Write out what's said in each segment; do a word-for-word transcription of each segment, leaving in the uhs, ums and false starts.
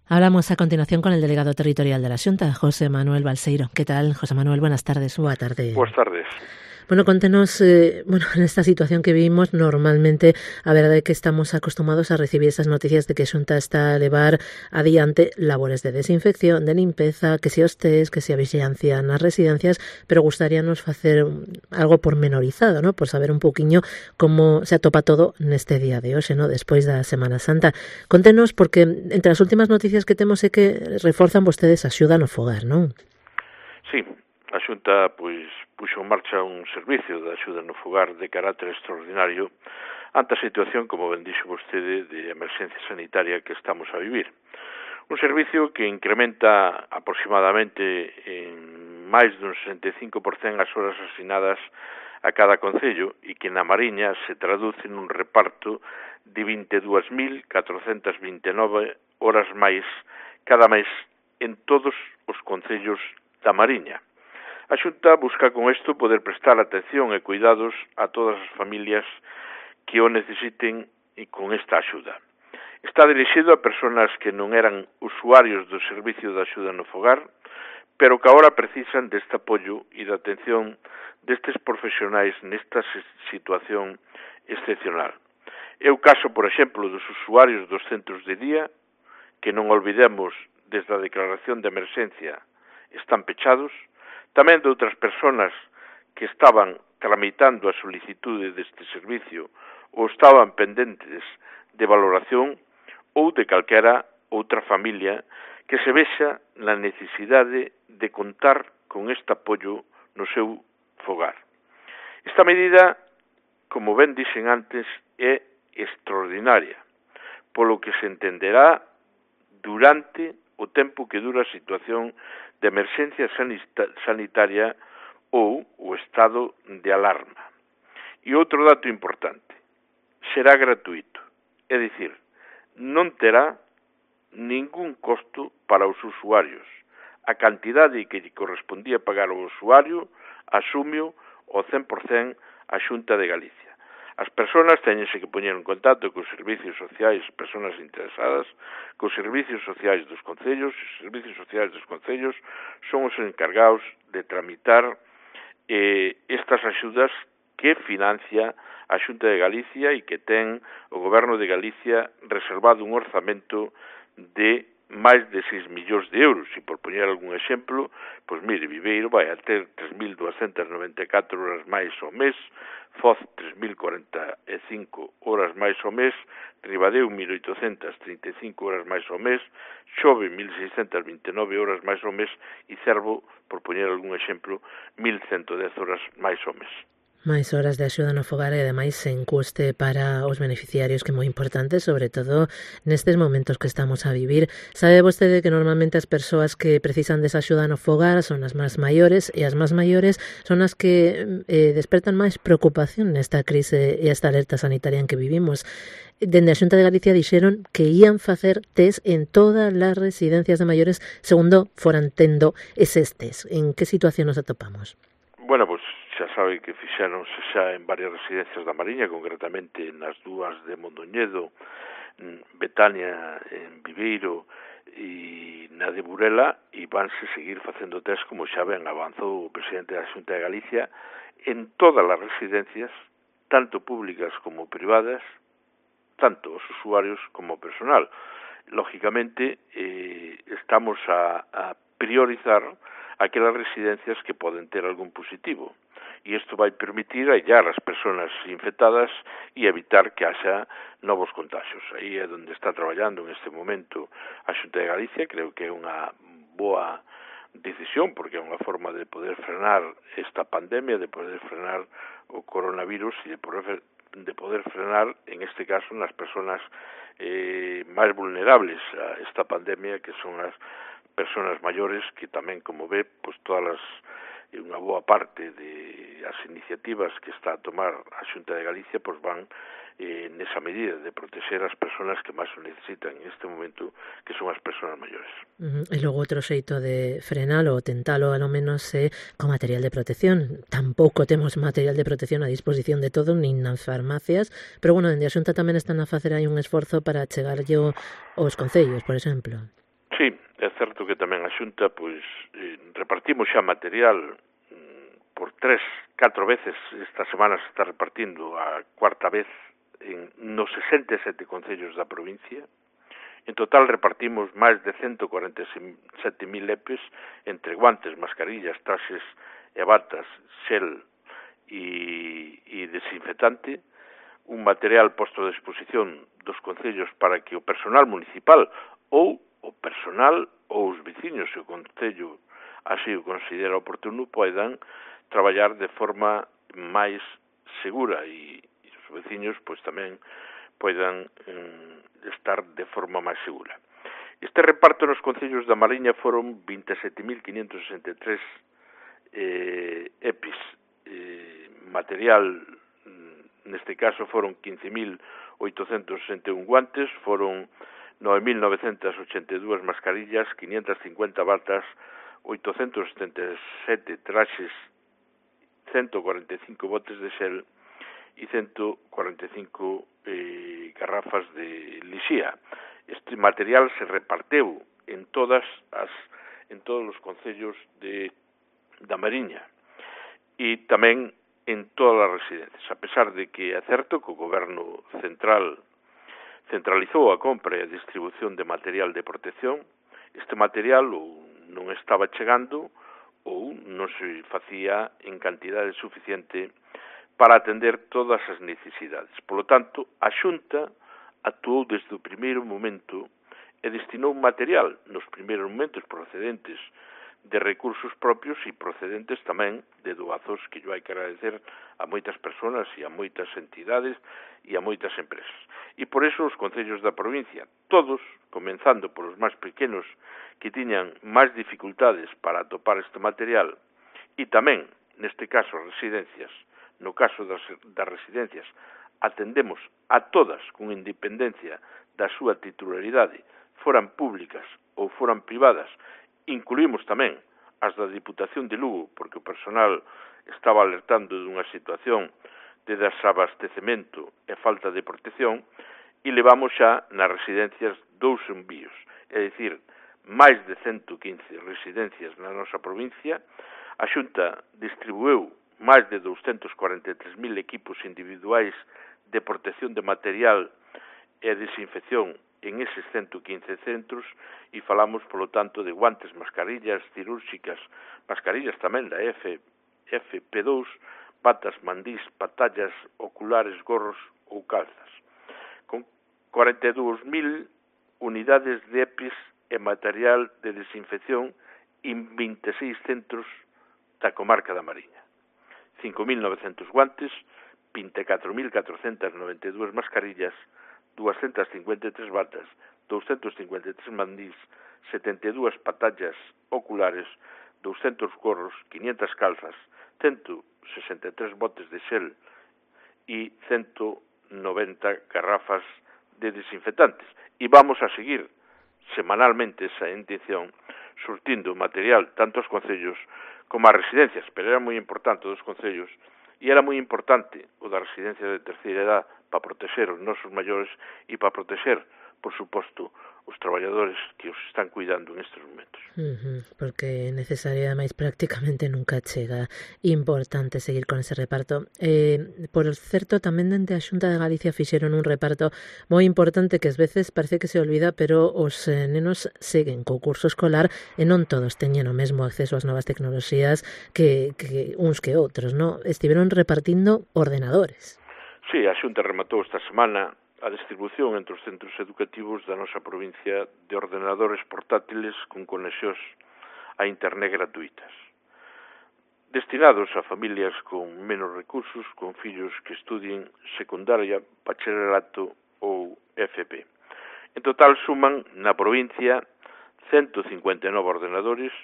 Hablamos a continuación con el delegado territorial de la Xunta, José Manuel Balseiro. ¿Qué tal, José Manuel? Buenas tardes. Boa tarde. Buenas tardes. Bueno, contenos, eh, bueno, en esta situación que vivimos, normalmente a verdade é que estamos acostumados a recibir esas noticias de que a Xunta está a levar adiante labores de desinfección, de limpeza, que se os test, que se a vigilancia nas residencias, pero gustaríanos facer algo pormenorizado, ¿no? Por saber un pouquiño como se atopa todo neste día de hoxe, ¿no? Despois da Semana Santa. Contenos, porque entre as últimas noticias que temos é que reforzan vostedes a axuda no fogar, non? Sí, a Xunta, pois, puxo en marcha un servicio de axuda no fogar de carácter extraordinario ante a situación, como ben dixo vostede, de emerxencia sanitaria que estamos a vivir. Un servicio que incrementa aproximadamente en máis dun sesenta e cinco por cento as horas asignadas a cada concello e que na Mariña se traduce nun reparto de vinte e dúas mil catrocentas vinte e nove horas máis cada mes en todos os concellos da Mariña. A Xunta busca con isto poder prestar atención e cuidados a todas as familias que o necesiten e con esta axuda. Está dirixido a persoas que non eran usuarios do servicio de axuda no fogar, pero que agora precisan deste apoio e da atención destes profesionais nesta situación excepcional. É o caso, por exemplo, dos usuarios dos centros de día, que non olvidemos desde a declaración de emerxencia están pechados, tamén de outras persoas que estaban tramitando a solicitude deste servicio ou estaban pendentes de valoración ou de calquera outra familia que se vexa na necesidade de contar con este apoio no seu fogar. Esta medida, como ben dixen antes, é extraordinaria, polo que se entenderá durante o tempo que dura a situación de emerxencia sanitaria ou o estado de alarma. E outro dato importante, será gratuito, é dicir, non terá ningún costo para os usuarios. A cantidade que lle correspondía pagar ao usuario asumio o cen por cento a Xunta de Galicia. As persoas teñense que poñer en contacto cos servicios sociais, persoas interesadas, cos servicios sociais dos concellos, os servicios sociais dos concellos son os encargados de tramitar eh, estas axudas que financia a Xunta de Galicia e que ten o Goberno de Galicia reservado un orzamento de máis de seis millóns de euros. E por poñer algún exemplo, pois mire, Viveiro vai a ter tres mil duascentas noventa e catro horas máis ao mes, Foz tres mil cuarenta e cinco horas máis ao mes, Ribadeo mil oitocentas trinta e cinco horas máis ao mes, Xove mil seiscentas vinte e nove horas máis ao mes e Cervo, por poñer algún exemplo, mil ciento dez horas máis ao mes. Máis horas de axuda no fogar e ademais sen custe para os beneficiarios, que é moi importante, sobre todo nestes momentos que estamos a vivir. Sabe vostede que normalmente as persoas que precisan desa axuda no fogar son as máis maiores e as máis maiores son as que eh, despertan máis preocupación nesta crise e esta alerta sanitaria en que vivimos. Dende a Xunta de Galicia dixeron que ían facer test en todas as residencias de maiores segundo foran tendo eses test. En que situación nos atopamos? Bueno, pois xa sabe que fixéronse xa en varias residencias da Mariña, concretamente nas dúas de Mondoñedo, Betania en Viveiro e na de Burela, e vanse seguir facendo test, como xa ben avanzou o presidente da Xunta de Galicia, en todas as residencias, tanto públicas como privadas, tanto os usuarios como o personal. Lógicamente, eh, estamos a, a priorizar aquelas residencias que poden ter algún positivo. E isto vai permitir aillar as persoas infectadas e evitar que haxa novos contagios. Aí é onde está traballando en este momento a Xunta de Galicia. Creo que é unha boa decisión, porque é unha forma de poder frenar esta pandemia, de poder frenar o coronavirus e de poder, de poder frenar, en este caso, nas persoas eh, máis vulnerables a esta pandemia, que son as persoas maiores, que tamén, como ve, pues todas as, unha boa parte de as iniciativas que está a tomar a Xunta de Galicia, pues van eh, nesa medida de proteger as persoas que máis o necesitan en este momento, que son as persoas maiores. Uh-huh. E logo outro xeito de frenalo ou tentalo, alo menos, é con material de protección. Tampouco temos material de protección a disposición de todo, nin nas farmacias, pero, bueno, dende a Xunta tamén están a facer aí un esforzo para chegarlle aos concellos, por exemplo. Sí, é certo que tamén a Xunta pois eh, repartimos xa material mm, por tres, catro veces. Esta semana se está repartindo a cuarta vez en nos sesenta e sete concellos da provincia. En total repartimos máis de ciento cuarenta e sete mil epes entre guantes, mascarillas, traxes e batas, xel e, e desinfectante, un material posto a disposición dos concellos para que o personal municipal ou o personal ou os veciños, se o concello así o considera oportuno, poidan traballar de forma máis segura e, e os veciños pois tamén poidan eh, estar de forma máis segura. Este reparto nos concellos da Mariña foron vinte e sete mil quinhentos sesenta e tres eh, epis, eh, material, neste caso foron quince mil oitocentos sesenta e un guantes, foron nove mil novecentos ochenta e dúas mascarillas, quinientas cincuenta batas, oitocentos setenta e sete traxes, ciento cuarenta e cinco botes de xel e ciento cuarenta e cinco eh, garrafas de lixía. Este material se reparteu en todas as en todos os concellos de da Mariña e tamén en todas as residencias, a pesar de que é certo que o goberno central centralizou a compra e a distribución de material de protección. Este material ou non estaba chegando ou non se facía en cantidade suficiente para atender todas as necesidades. Por lo tanto, a Xunta actuou desde o primeiro momento e destinou material nos primeiros momentos procedentes de recursos propios e procedentes tamén de doazos que yo hai que agradecer a moitas persoas e a moitas entidades e a moitas empresas. E por eso os concellos da provincia, todos, comenzando por os máis pequenos que tiñan máis dificultades para atopar este material, e tamén, neste caso, as residencias, no caso das, das residencias, atendemos a todas con independencia da súa titularidade, foran públicas ou foran privadas. Incluímos tamén as da Diputación de Lugo, porque o personal estaba alertando dunha situación de desabastecemento e falta de protección, e levamos xa nas residencias dous envíos, é dicir, máis de ciento quince residencias na nosa provincia. A Xunta distribuiu máis de doscientos cuarenta e tres mil equipos individuais de protección de material e desinfección en eses ciento quince centros e falamos, polo tanto, de guantes, mascarillas cirúrxicas, mascarillas tamén da F, F P dous, batas, mandís, patallas, oculares, gorros ou calzas. Con cuarenta e dúas mil unidades de EPIs e material de desinfección en vinte e seis centros da comarca da Mariña. cinco mil novecentos guantes, vinte e catro mil catrocentas noventa e dúas mascarillas, doscientas cincuenta e tres batas, doscientos cincuenta e tres mandís, setenta e dúas patallas oculares, doscientos gorros, quinientas calzas, ciento sesenta e tres botes de xel e ciento noventa garrafas de desinfectantes. E vamos a seguir semanalmente esa intención surtindo material tanto aos concellos como ás residencias, pero era moi importante dos concellos e era moi importante o da residencia de terceira edad para proteger os nosos maiores e para proteger, por suposto, os traballadores que os están cuidando en estes momentos. Uh-huh, porque é necesario, ademais, prácticamente nunca chega. Importante seguir con ese reparto. Eh, por certo, tamén dende a Xunta de Galicia fixeron un reparto moi importante que ás veces parece que se olvida, pero os eh, nenos seguen co curso escolar e non todos teñen o mesmo acceso ás novas tecnoloxías que, que uns que outros, non? Estiveron repartindo ordenadores. Sí, a Xunta rematou esta semana a distribución entre os centros educativos da nosa provincia de ordenadores portátiles con conexións a internet gratuitas, destinados a familias con menos recursos, con fillos que estudien secundaria, bacharelato ou F P. En total suman na provincia ciento cincuenta e nove ordenadores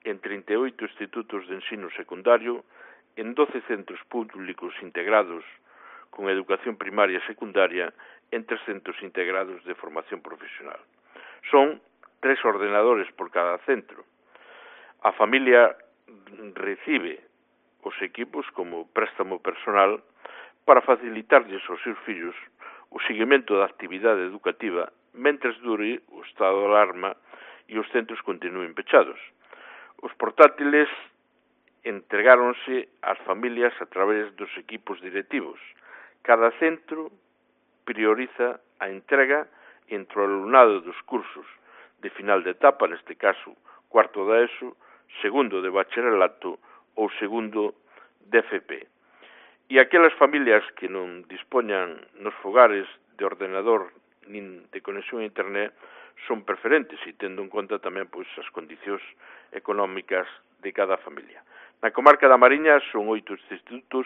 en trinta e oito institutos de ensino secundario, en doce centros públicos integrados con educación primaria e secundaria, en tres centros integrados de formación profesional. Son tres ordenadores por cada centro. A familia recibe os equipos como préstamo personal para facilitarlles aos seus fillos o seguimento da actividade educativa mentres dure o estado de alarma e os centros continúen pechados. Os portátiles entregáronse ás familias a través dos equipos directivos. Cada centro prioriza a entrega entre o alumnado dos cursos de final de etapa, neste caso cuarto da ESO, segundo de bacharelato ou segundo de F P. E aquelas familias que non dispoñan nos fogares de ordenador nin de conexión a internet son preferentes e tendo en conta tamén pois, as condicións económicas de cada familia. Na comarca da Mariña son oito institutos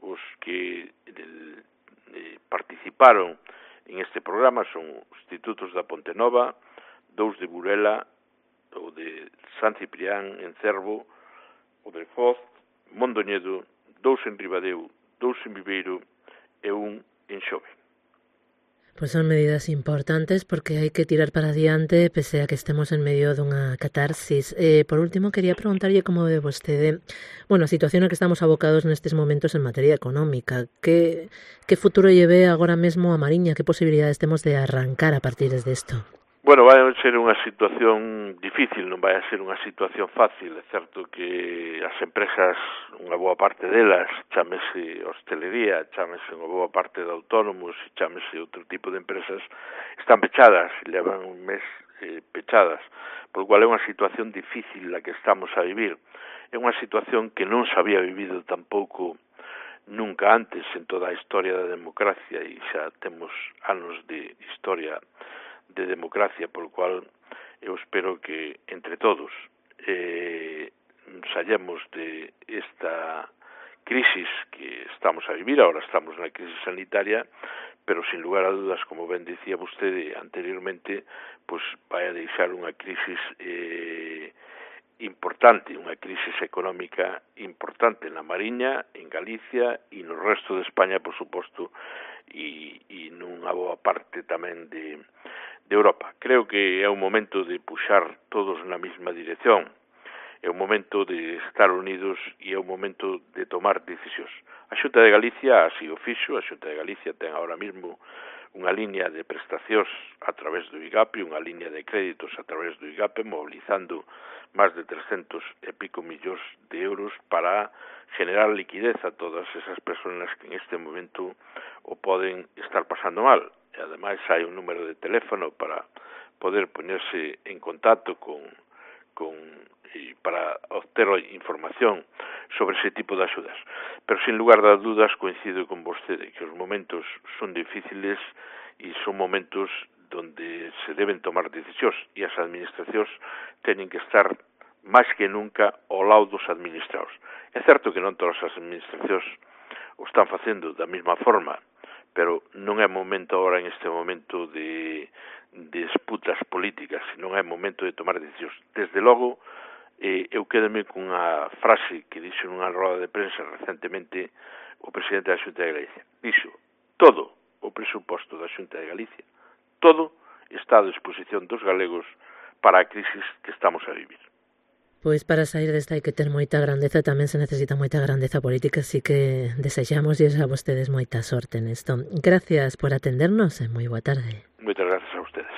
os que eh, participaron en este programa, son institutos da Ponte Nova, dous de Burela, o de San Ciprián, en Cervo, o de Foz, Mondoñedo, dous en Ribadeo, dous en Viveiro e un en Xove. Pues son medidas importantes porque hai que tirar para adiante pese a que estemos en medio dunha catarsis. Eh, por último, quería preguntarlle como ve vostede, bueno, a situación a que estamos abocados nestes momentos en materia económica. Que, que futuro lle ve agora mesmo a Mariña? Que posibilidades temos de arrancar a partir de isto? Bueno, vai a ser unha situación difícil, non vai a ser unha situación fácil. É certo que as empresas, unha boa parte delas, chámese hostelería, chámese unha boa parte de autónomos, chámese outro tipo de empresas, están pechadas, levan un mes eh, pechadas, por lo cual é unha situación difícil a que estamos a vivir. É unha situación que non se había vivido tampouco nunca antes en toda a historia da democracia, e xa temos anos de historia de democracia, por lo cual eu espero que entre todos eh, saíamos de esta crisis que estamos a vivir. Ahora estamos na crisis sanitaria, pero sin lugar a dudas, como ben dicía vostede anteriormente, pues vai a deixar unha crisis eh, importante, unha crisis económica importante na Mariña, en Galicia e no resto de España, por suposto, e, e nunha boa parte tamén de de Europa. Creo que é un momento de puxar todos na mesma dirección, é un momento de estar unidos e é un momento de tomar decisións. A Xunta de Galicia así o fixo, a Xunta de Galicia ten agora mesmo unha liña de prestacións a través do IGAPE, unha liña de créditos a través do IGAPE, mobilizando máis de trescentos e pico millóns de euros para generar liquidez a todas esas persoas que en este momento o poden estar pasando mal. E ademais hai un número de teléfono para poder ponerse en contacto con, con e para obter información sobre ese tipo de axudas. Pero sin lugar a dudas coincido con vostede que os momentos son difíciles e son momentos donde se deben tomar decisións e as administracións teñen que estar máis que nunca ao lado dos administrados. É certo que non todas as administracións o están facendo da mesma forma, pero non é momento agora en este momento de, de disputas políticas, non é momento de tomar decisións. Desde logo, eh, eu quedame con unha frase que dixo nunha roda de prensa recentemente o presidente da Xunta de Galicia. Dixo, todo o presuposto da Xunta de Galicia, todo está a disposición dos galegos para a crisis que estamos a vivir. Pois para sair desta hai que ter moita grandeza, tamén se necesita moita grandeza política, así que desexamos a vostedes moita sorte nesto. Gracias por atendernos e moi boa tarde. Moitas gracias a ustedes.